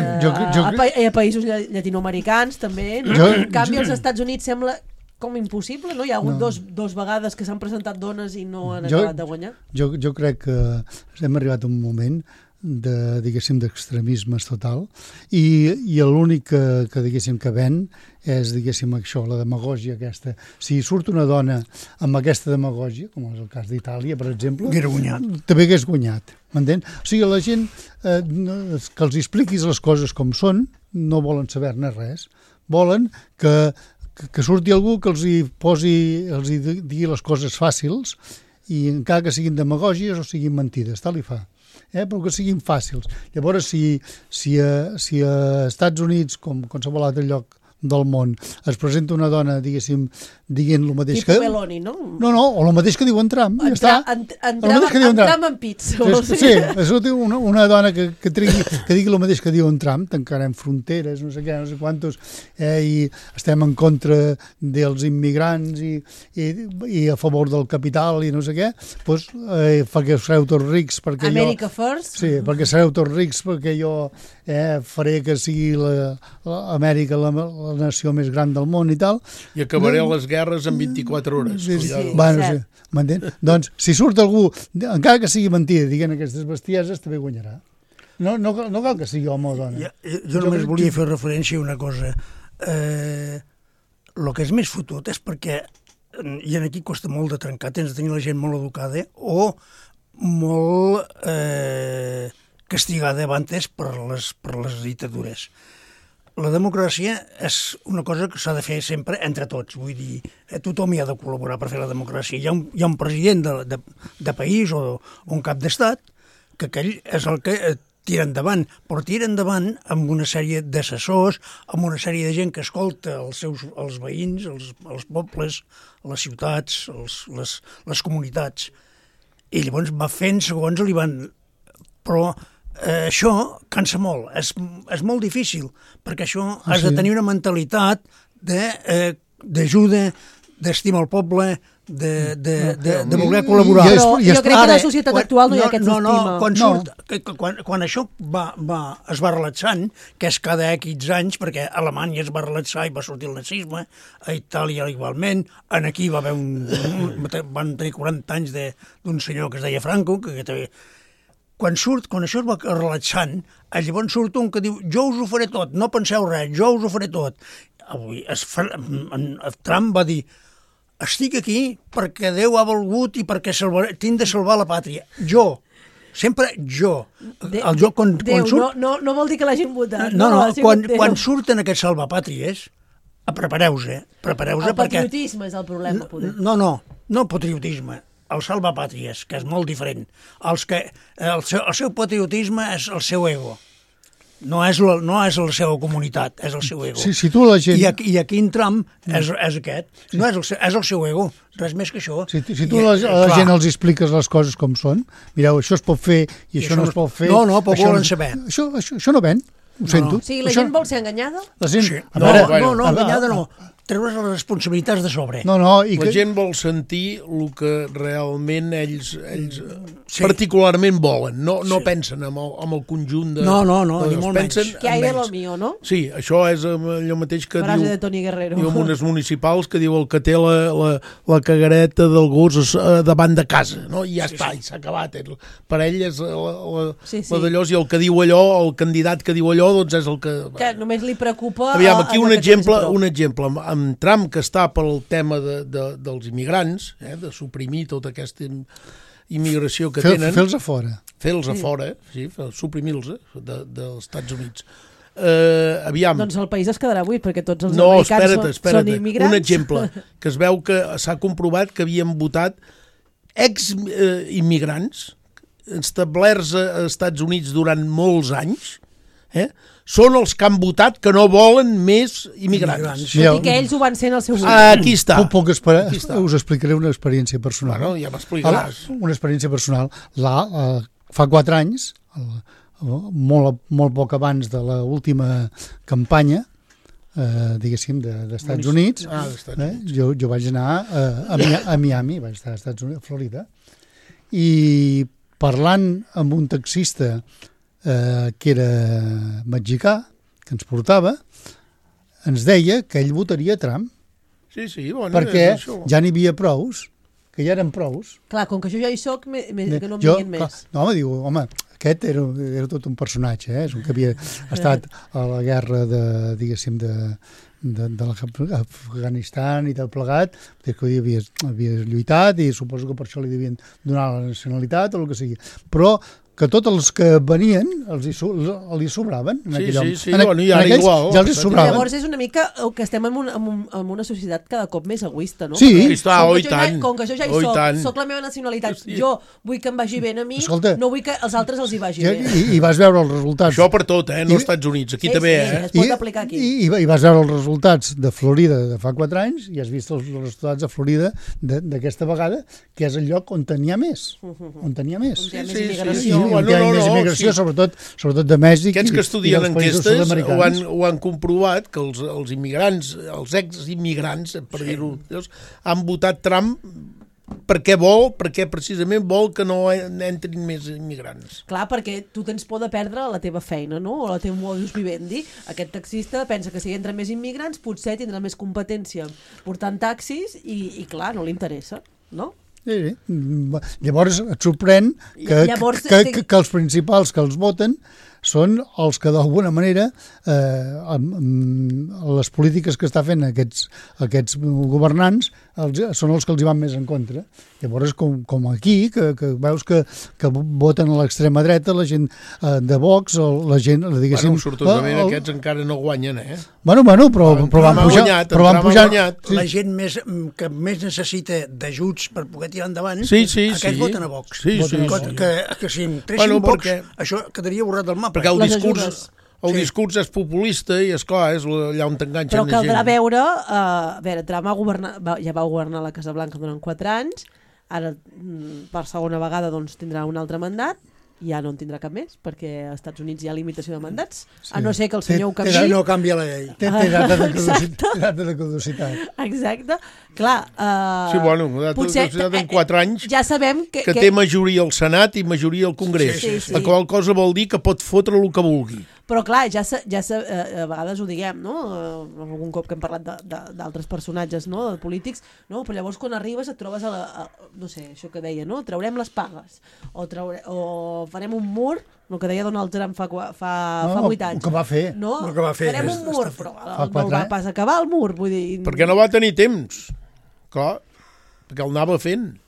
A països llatinoamericans també, no? En canvi als Estats Units sembla com impossible, no? Hi ha hagut dos vegades que s'han presentat dones i no han acabat de guanyar. Jo crec que hem arribat a un moment d'extremismes total i l'únic que diguéssim que ven és, diguéssim, això, la demagògia aquesta. Si surt una dona amb aquesta demagògia, com és el cas d'Itàlia, per exemple, també hagués guanyat, m'entén? O sigui, la gent que els expliquis les coses com són, no volen saber-ne res. Volen que surti algú que els digui les coses fàcils i encara que siguin demagògies o siguin mentides, tal i fa. Però que siguin fàcils. Llavors, si a Estats Units, com a qualsevol altre lloc del món, es presenta una dona, diguéssim, dient el mateix que... Tipo Meloni, no? No, o el mateix que diu en Trump. Trump en pits. Sí, una dona que digui el mateix que diu en Trump, tancarem fronteres, no sé què, no sé quantos, i estem en contra dels immigrants i a favor del capital i no sé què, doncs perquè sereu tots rics, perquè America first? Sí, perquè sereu tots rics, perquè jo faré que sigui l'Amèrica la nació més gran del món i tal. I acabaré les guerres en 24 hores. Bueno, sí, m'entén? Doncs, si surt algú, encara que sigui mentida, diguent aquestes bestieses, també guanyarà. No cal que sigui home o dona. Jo només volia fer referència a una cosa. El que és més fotut és perquè, i aquí costa molt de trencar, tens de tenir la gent molt educada o molt castigada abans per les dictadures. La democràcia és una cosa que s'ha de fer sempre entre tots. Vull dir, tothom hi ha de col·laborar per fer la democràcia. Hi ha un president de país o un cap d'estat que aquell és el que tira endavant, però tira endavant amb una sèrie d'assessors, amb una sèrie de gent que escolta els veïns, els pobles, les ciutats, les comunitats. I llavors va fent segons li van... Però això cansa molt, és molt difícil, perquè això has de tenir una mentalitat d'ajuda, d'estimar el poble, de voler col·laborar. Però jo crec que en la societat actual no hi ha aquest estima. Quan això es va relaxant, que és cada X anys, perquè a Alemanya es va relaxar i va sortir el nazisme, a Itàlia igualment, aquí va haver van tenir 40 anys d'un senyor que es deia Franco, que també... Quan això es va relaxant, llavors surt un que diu jo us ho faré tot, no penseu res, jo us ho faré tot. Avui Trump va dir estic aquí perquè Déu ha volgut i perquè tinc de salvar la pàtria. Jo, sempre jo. Déu, no vol dir que l'hagin votat. Quan surten aquests salvapàtries, prepareu-se. El patriotisme és el problema, poder. No patriotisme. El salvapàtries, que és molt diferent. El seu patriotisme és el seu ego. No és la seva comunitat, és el seu ego. Si tu la gent... I aquí en Trump és aquest. No és el seu ego, res més que això. Si tu a la gent els expliques les coses com són, mireu, això es pot fer i això no es pot fer... No, però volen saber. Això no ven, ho sento. O sigui, la gent vol ser enganyada? No, enganyada no. Treure les responsabilitats de sobre. La gent vol sentir el que realment ells particularment volen. No pensen en el conjunt de... No, ni molt menys. Que hay de lo mío, no? Sí, això és allò mateix que frase de Toni Guerrero. diu unes municipals que diu el que té la cagareta del gos davant de casa, no? I ja està, i s'ha acabat. Per ell és la d'allò, i el que diu allò, el candidat que diu allò, doncs és el que... Que només li preocupa... Aviam, aquí un exemple, amb Trump, que està pel tema dels immigrants, de suprimir tota aquesta immigració que tenen... Fer-los a fora. Fer-los a fora, sí, suprimir-los dels Estats Units. Aviam... Doncs el país es quedarà buit, perquè tots els americans són immigrants. Un exemple, que es veu que s'ha comprovat que havien votat ex-immigrants establerts als Estats Units durant molts anys, són els que han votat que no volen més immigrants. Tot i que ells ho van ser en el seu moment. Aquí està. Us explicaré una experiència personal. Bueno, ja m'explicaràs. Una experiència personal. Fa 4 anys, molt poc abans de l'última campanya, diguéssim, d'Estats Units, jo vaig anar a Miami, vaig estar als Estats Units, a Florida, i parlant amb un taxista que era mexicà, que ens portava, ens deia que ell votaria Trump. Sí, bueno, perquè ja n'hi havia prous, que ja eren prous. Clar, com que jo ja hi soc, que no em diguin més. No, home, aquest era tot un personatge, és un que havia estat a la guerra diguéssim, de l'Afganistan i del plegat, que havia lluitat i suposo que per això li devien donar la nacionalitat o el que sigui. Però que tots els que venien li sobraven. Sí, bueno, i ara igual. Ja els sobraven. Llavors és una mica que estem en una societat cada cop més egoista, no? Sí. Com que jo ja hi soc la meva nacionalitat, jo vull que em vagi bé a mi, no vull que als altres els hi vagi bé. I vas veure els resultats. Això per tot, no als Estats Units, aquí també. Es pot aplicar aquí. I vas veure els resultats de Florida de fa 4 anys i has vist els resultats de Florida d'aquesta vegada, que és el lloc on n'hi ha més. On n'hi ha més. On hi ha més immigració. Hi ha més immigració, sobretot de Mèxic. Aquests que estudien enquestes ho han comprovat, que els immigrants, els ex-immigrants, per dir-ho, han votat Trump perquè precisament vol que no entrin més immigrants. Clar, perquè tu tens por de perdre la teva feina, no? O la teva modus vivendi. Aquest taxista pensa que si entren més immigrants potser tindrà més competència portant taxis i clar, no li interessa, no? Sí. Llavors et sorprèn que els principals que els voten són els que d'alguna manera les polítiques que està fent aquests governants són els que els hi van més en contra. Llavors, com aquí, que veus que voten a l'extrema dreta, la gent de Vox, o la gent, diguéssim... Bueno, sortosament aquests encara no guanyen, Bueno, però van pujar. La gent que més necessita d'ajuts per poder tirar endavant, aquests voten a Vox. Que si em tressin Vox, això quedaria borrat del mapa. Perquè el discurs és populista i, esclar, és allà on t'enganxen la gent. Però caldrà veure, Trump ja va governar la Casa Blanca durant 4 anys, ara per segona vegada tindrà un altre mandat, i ja no en tindrà cap més, perquè als Estats Units hi ha limitació de mandats, a no ser que el senyor ho canviï. No canvia la llei. Té data de caducitat. Exacte. Clar, sí, bueno, potser en 4 anys ja sabem que té majoria al Senat i majoria al Congrés. La qual cosa vol dir que pot fotre el que vulgui. Però clar, a vegades ho diguem, no? Algun cop que hem parlat d'altres personatges, no? De polítics, no? Però llavors quan arribes et trobes no sé, això que deia, no? Traurem les pagues, o farem un mur, el que deia Donald Trump fa 8 anys. El que va fer. No? El que va fer. Farem un mur, però no va pas acabar el mur, vull dir... Perquè no va tenir temps, clar, perquè el anava fent.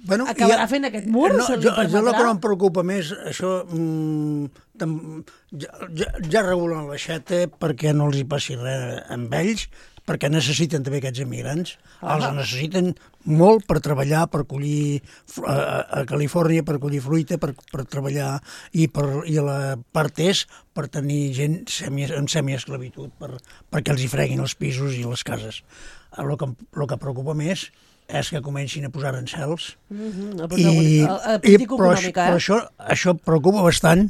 Bueno, acabarà fent aquest mur? Jo el que no em preocupa més, això ja regulen l'aixeta perquè no els hi passi res amb ells, perquè necessiten també aquests emigrants. Els necessiten molt per treballar, per collir a Califòrnia, per collir fruita, per treballar, i a la part est per tenir gent en semiesclavitud, perquè els hi freguin els pisos i les cases. El que preocupa més és que comencin a posar arancels. Però això preocupa bastant,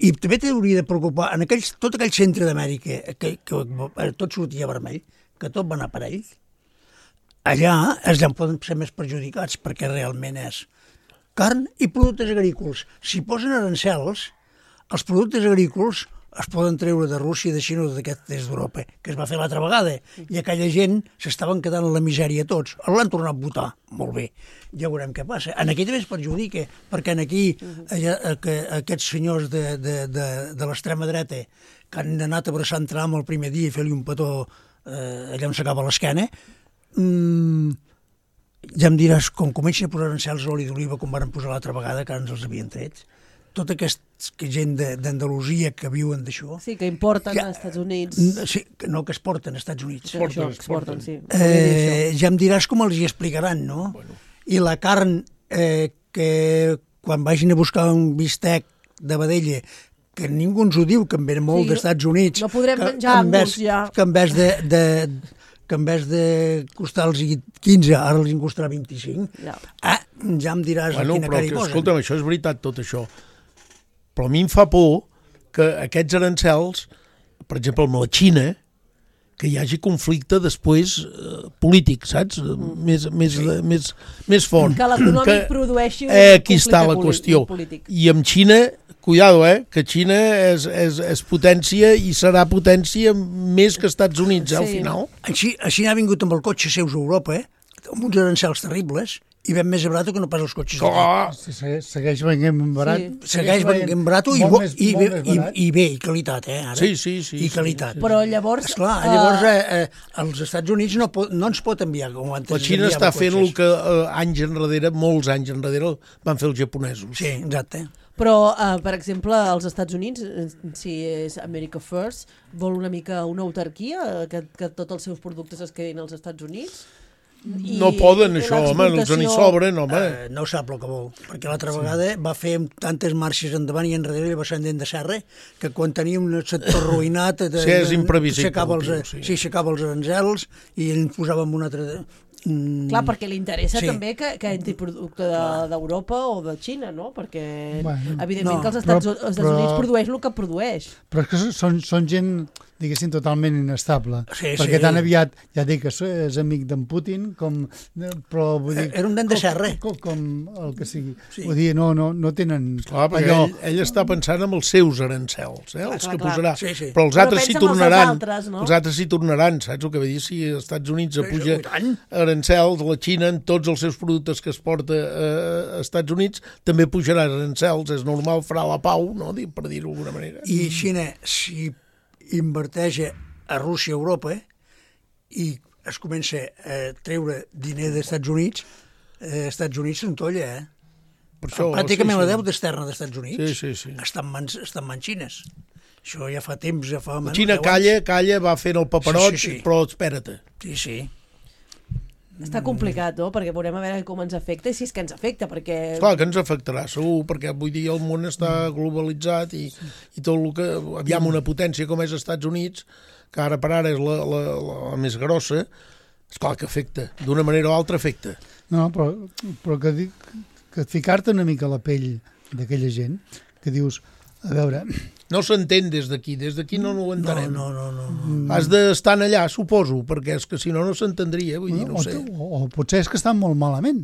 i també t'hauria de preocupar en tot aquell centre d'Amèrica que tot sortia vermell, que tot va anar per ell. Allà és on poden ser més perjudicats, perquè realment és carn i productes agrícoles. Si posen arancels, els productes agrícoles es poden treure de Rússia, de Xina o d'aquest est d'Europa, que es va fer l'altra vegada, i aquella gent s'estaven quedant en la misèria tots. L'han tornat a votar, molt bé, ja veurem què passa. En aquí també es perjudica, perquè en aquí aquests senyors de l'extrema dreta que han anat abraçant Trump el primer dia i fer-li un petó allà on s'acaba l'esquena, ja em diràs, com comencin a posar arancels l'oli d'oliva com van posar l'altra vegada, que ara ens els havien tret, tota aquesta gent d'Andalusia que viuen d'això... Sí, que importen als Estats Units. Sí, no, que exporten als Estats Units. Exporten, sí. Ja em diràs com els hi explicaran, no? I la carn que quan vagin a buscar un bistec de vedella, que ningú ens ho diu, que en ve molt dels Estats Units... No podrem menjar-nos ja. Que en vez de costar-los 15, ara els en costarà 25. Ja em diràs a quina cara hi posen. Escolta'm, això és veritat, tot això. Però a mi em fa por que aquests arancels, per exemple, amb la Xina, que hi hagi conflicte després polític, saps? Més fort. Que l'econòmic produeixi un conflicte aquí està la qüestió. Polític. I amb Xina, cuidado, que Xina és potència i serà potència més que Estats Units, al final. Així n'ha vingut amb el cotxe seus a Europa, amb uns arancels terribles, i ven més barat que no pas els cotxes d'aquí. Segueix venint barat. Segueix venint barat i bé, i qualitat, ara. Sí. I qualitat. Però llavors... Esclar, llavors els Estats Units no ens pot enviar com antes. La Xina està fent el que molts anys enrere, van fer els japonesos. Sí, exacte. Però, per exemple, als Estats Units, si és America First, vol una mica una autarquia, que tots els seus productes es quedin als Estats Units? No poden, això, home, els n'hi sobren, home. No sap el que vol, perquè l'altra vegada va fer tantes marxes endavant i enrere i va ser endent de serra, que quan tenia un sector arruïnat... és imprevisible. S'aixecava els arancels i ens posàvem un altre... Clar, perquè li interessa també que entri producte d'Europa o de Xina, no? Perquè, evidentment, que els Estats Units produeix el que produeix. Però és que són gent, diguéssim, totalment inestable. Sí, perquè sí. tan aviat, ja dic que és amic d'en Putin, però vull dir... Era un dent de serra. Com el que sigui. Sí. Vull dir, no tenen... Clar, perquè ell està pensant en els seus arancels, els que posarà. Sí, sí. Però els altres s'hi tornaran. No? Els altres s'hi tornaran, saps el que vull dir? Si als Estats Units apuja arancels, la Xina en tots els seus productes que es porta a Estats Units també pujarà arancels, és normal, farà la pau, no? Per dir-ho d'alguna manera. I Xina, si inverteix a Rússia, Europa, i es comença a treure diner dels Estats Units, Estats Units s'entolla, Per això, pràcticament la deute externa dels Estats Units sí. està en mans xines. Això ja fa temps, ja fa... La Xina calla, va fent el paperot, Sí. però espera't. Sí. Està complicat, no? Perquè veurem a veure com ens afecta i si és que ens afecta, perquè... Clar que ens afectarà, segur, perquè vull dir, el món està globalitzat i tot el que... Aviam, una potència com és els Estats Units, que ara per ara és la més grossa, esclar que afecta, d'una manera o altra afecta. No, però que ficar-te una mica a la pell d'aquella gent, que dius, a veure... No s'entén des d'aquí no ho entenem. No. Has d'estar allà, suposo, perquè és que si no s'entendria, vull dir, no ho sé. O potser és que estan molt malament.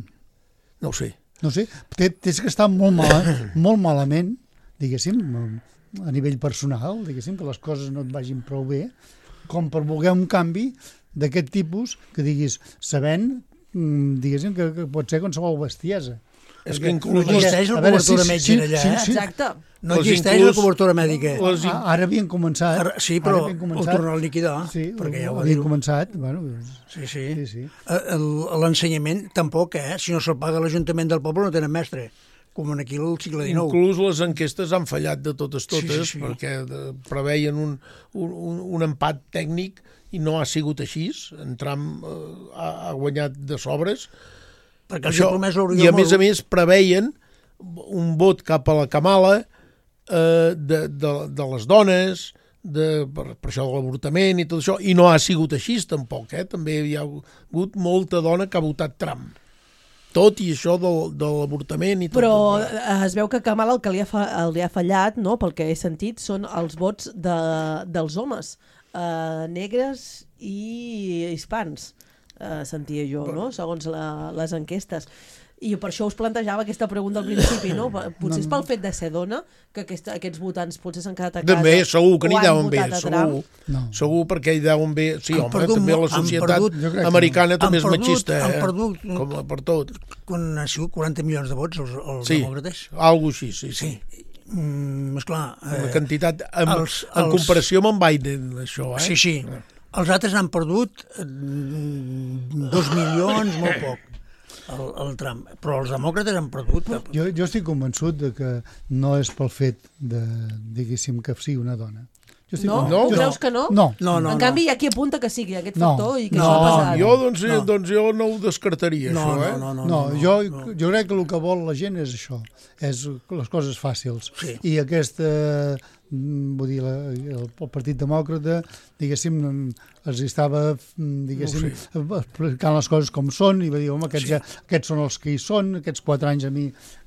No ho sé. No sé, tens que estar molt malament, diguéssim, a nivell personal, diguéssim, que les coses no et vagin prou bé, com per voler un canvi d'aquest tipus que diguis, sabent, diguéssim, que pot ser qualsevol bestiesa. És que inclús... No existeix la cobertura mèdica allà, Exacte. No existeix la cobertura mèdica. Ara havien començat. Sí, però ho tornen a liquidar, perquè ja ho havien començat. Bueno, sí. L'ensenyament tampoc, si no se'l paga l'Ajuntament del poble no tenen mestre, com aquí al segle XIX. Inclús les enquestes han fallat de totes, perquè preveien un empat tècnic i no ha sigut així. En Trump ha guanyat de sobres. I a més preveien un vot cap a la Kamala de les dones, per això de l'avortament i tot això, i no ha sigut així tampoc, també hi ha hagut molta dona que ha votat Trump. Tot i això de l'avortament i tot. Però es veu que Kamala el que li ha fallat, no, pel que he sentit, són els vots dels homes, negres i hispans. Sentia jo, no? Segons les enquestes. I per això us plantejava aquesta pregunta al principi, no? Potser és pel fet de ser dona que aquests votants potser s'han quedat a casa. També, segur que n'hi deuen bé, segur perquè hi deuen bé. Sí, home, també la societat americana també és machista, com per tot. Quan han sigut 40 milions de vots els demòcrates? Sí, alguna cosa així, sí. Esclar. La quantitat, en comparació amb en Biden, això, Sí. Els altres han perdut 2 milions, molt poc, el Trump. Però els demòcrates han perdut. Jo estic convençut de que no és pel fet de, diguéssim, que sigui una dona. No? Tu creus que no? No. En canvi, hi ha qui apunta que sigui aquest factor i que això ha passat. Doncs jo no ho descartaria, això, No, jo crec que el que vol la gent és això, és les coses fàcils. I aquesta... vull dir, el Partit Demòcrata, diguéssim, els estava, diguéssim, explicant les coses com són, i va dir, home, aquests són els que hi són, aquests 4 anys a mi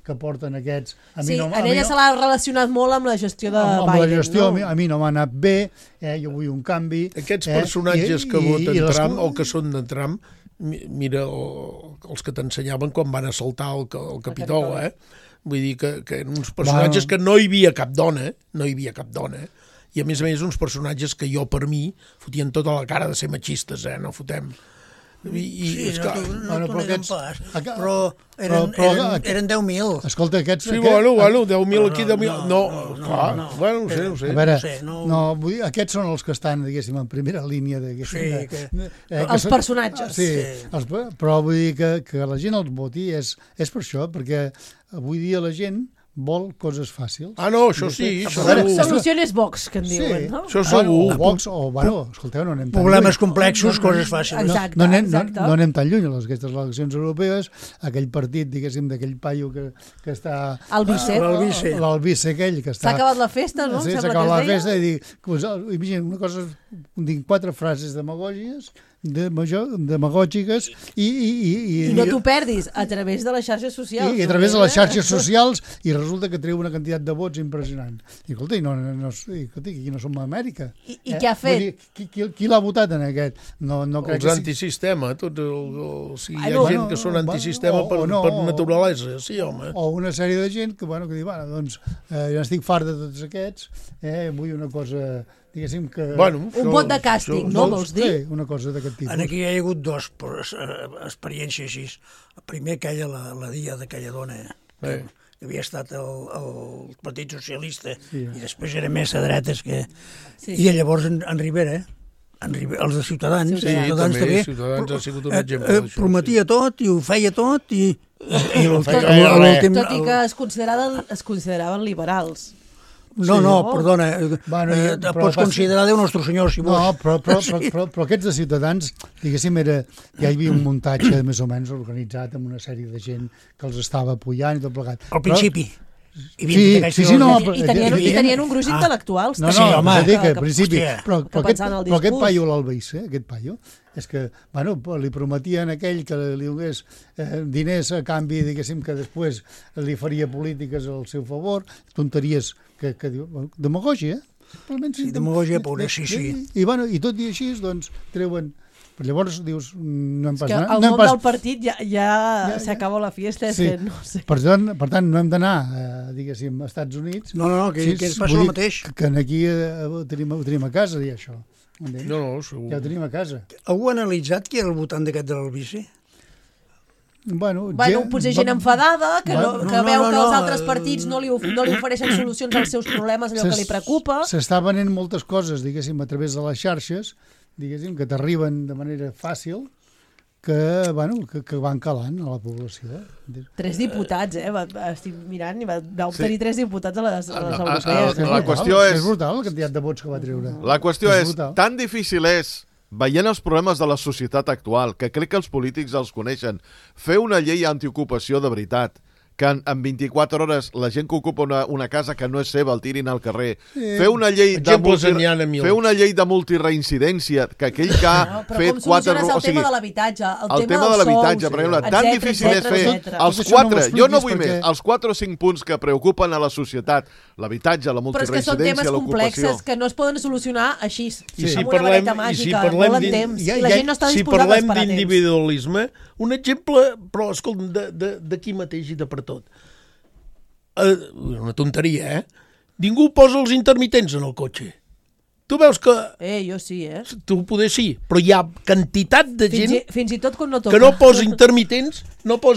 que porten aquests... Sí, en ella se l'ha relacionat molt amb la gestió de Biden. Amb la gestió, a mi no m'ha anat bé, jo vull un canvi... Aquests personatges que voten Trump o que són de Trump, mira els que t'ensenyaven quan van assaltar el Capitol, Vull dir que uns personatges que no hi havia cap dona, i a més uns personatges que jo, per mi, fotien tota la cara de ser machistes, no fotem. Sí, no t'ho neguem pas, però eren 10.000. Escolta, aquests... Sí, bueno, 10.000 aquí, 10.000... No, clar, no sé. A veure, vull dir, aquests són els que estan, diguéssim, en primera línia. Els personatges. Sí, però vull dir que la gent els voti és per això, perquè avui dia la gent vol coses fàcils. No, això sí. Soluciones Vox, que en diuen, no? Això segur. Vox, escolteu, no anem tan lluny. Problemes complexos, coses fàcils. No anem tan lluny. Aquestes eleccions europees, aquell partit, diguéssim, d'aquell paio que està... L'Albice aquell que està... S'ha acabat la festa, no? Sí, s'ha acabat la festa i dic, imagina, una cosa, dic 4 frases demagògies demagògiques i no t'ho perdis a través de les xarxes socials. I a través de les xarxes socials i resulta que treu una quantitat de vots impressionant. I escolta, aquí no som a Amèrica. I què ha fet? Qui l'ha votat en aquest? Els antisistema, tots hi ha gent que són antisistema per naturalesa, sí, home. O una sèrie de gent que diu, doncs jo estic fart de tots aquests, vull una cosa... diguéssim que... Un vot de càstig, no vols dir? Sí, una cosa d'aquest tipus. Aquí hi ha hagut dues experiències així. Primer aquella, la dia d'aquella dona, que havia estat el Partit Socialista, i després era més a dretes que... I llavors en Rivera, els de Ciutadans, també, Ciutadans ha sigut un exemple d'això. Prometia tot i ho feia tot i... Tot i que es consideraven liberals. No, perdona, pots considerar Déu Nostre Senyor, si vols. No, però aquests de Ciutadans, diguéssim, ja hi havia un muntatge més o menys organitzat amb una sèrie de gent que els estava apoyant i tot plegat. Al principi. I tenien un gruix intel·lectuals. No, home, al principi. Però aquest paio, l'Albaicé, aquest paio, és que, li prometien a aquell que li donés diners a canvi, diguéssim, que després li faria polítiques al seu favor, tonteries que diu, demagògia, Sí, demagògia pura, sí. I tot i així, doncs, treuen... Però llavors dius, no hem pas... El món del partit ja s'acaba la fiesta, és que no sé. Per tant, no hem d'anar, diguéssim, als Estats Units. No, que ens passa el mateix. Que aquí ho tenim a casa, dir això. No, segur. Ja ho tenim a casa. Algú ha analitzat qui era el votant d'aquest de l'Albici? Potser gent enfadada, que veu que els altres partits no li ofereixen solucions als seus problemes, allò que li preocupa. S'està venent moltes coses, diguéssim, a través de les xarxes, diguéssim, que t'arriben de manera fàcil, que van calant a la població. 3 diputats, estic mirant, i va obtenir 3 diputats a les europees. La qüestió és... És brutal la quantitat de vots que va treure. La qüestió és, tan difícil és, veient els problemes de la societat actual, que crec que els polítics els coneixen, fer una llei antiocupació de veritat, que en 24 hores la gent que ocupa una casa que no és seva el tirin al carrer, fer una llei de multireincidència, que aquell que ha fet 4... Com soluciones el tema de l'habitatge, el tema dels sous, per exemple, tan difícil és fer els 4, jo no vull més, els 4 o 5 punts que preocupen a la societat, l'habitatge, la multireincidència, l'ocupació... Però és que són temes complexes que no es poden solucionar així, amb una vareta màgica, molt en temps, i la gent no està disposada a esperar temps. Si parlem d'individualisme, un exemple, però escolta, d'aquí mateix i de per tot. Una tonteria, Ningú posa els intermitents en el cotxe. Tu veus que... jo sí, Tu poder sí, però hi ha quantitat de gent fins i tot quan no toca. Que no posa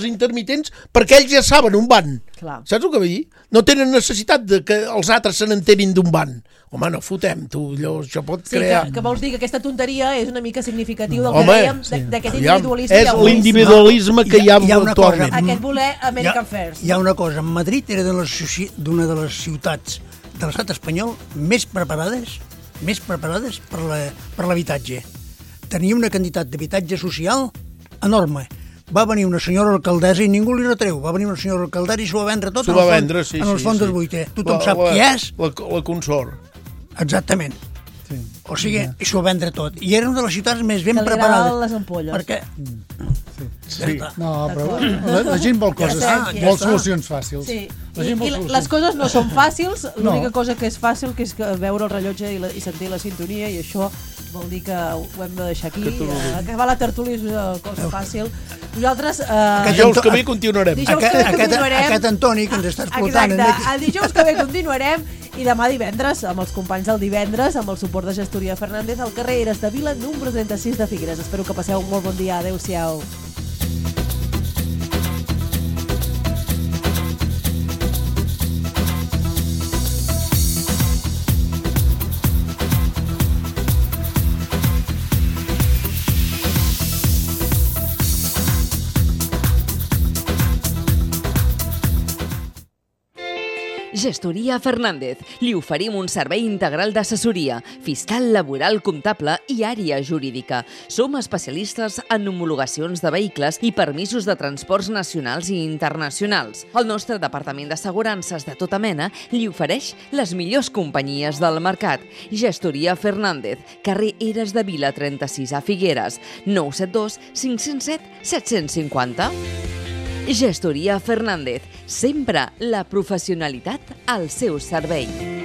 intermitents perquè ells ja saben on van. Clar. Saps el que vull dir? No tenen necessitat de que els altres se n'enterin d'on van. Home, no fotem, això pot crear... Que vols dir que aquesta tonteria és una mica significatiu del que dèiem, d'aquest individualisme. És l'individualisme que hi ha actualment. Aquest voler American First. Hi ha una cosa, Madrid era d'una de les ciutats de l'estat espanyol més preparades per l'habitatge. Tenia una quantitat d'habitatge social enorme. Va venir una senyora alcaldessa i ningú li retreu. Va venir una senyora alcaldessa i s'ho va vendre tot en els fons del buiter. Tothom sap qui és. La consort. Exactament. O sigui, s'ho va vendre tot. I era una de les ciutats més ben preparades. Les ampolles. Perquè... No, però la gent vol coses, vol solucions fàcils. Sí. I les coses no són fàcils, l'única cosa que és fàcil que és veure el rellotge i sentir la sintonia, i això vol dir que ho hem de deixar aquí. Acabar la tertúlia és una cosa fàcil. Nosaltres... Dijous que ve continuarem. Aquest Antoni que ens està escoltant. Exacte, el dijous que ve continuarem i demà divendres, amb els companys del divendres, amb el suport de Gestoria Fernández, al carrer Eres de Vila, número 36 de Figueres. Espero que passeu un molt bon dia. Adéu-siau. Gestoria Fernández. Li oferim un servei integral d'assessoria, fiscal, laboral, comptable i àrea jurídica. Som especialistes en homologacions de vehicles i permisos de transports nacionals i internacionals. El nostre departament d'assegurances de tota mena li ofereix les millors companyies del mercat. Gestoria Fernández, carrer Eres de Vila 36 a Figueres, 972 507 750. Gestoria Fernández, sempre la professionalitat al seu servei.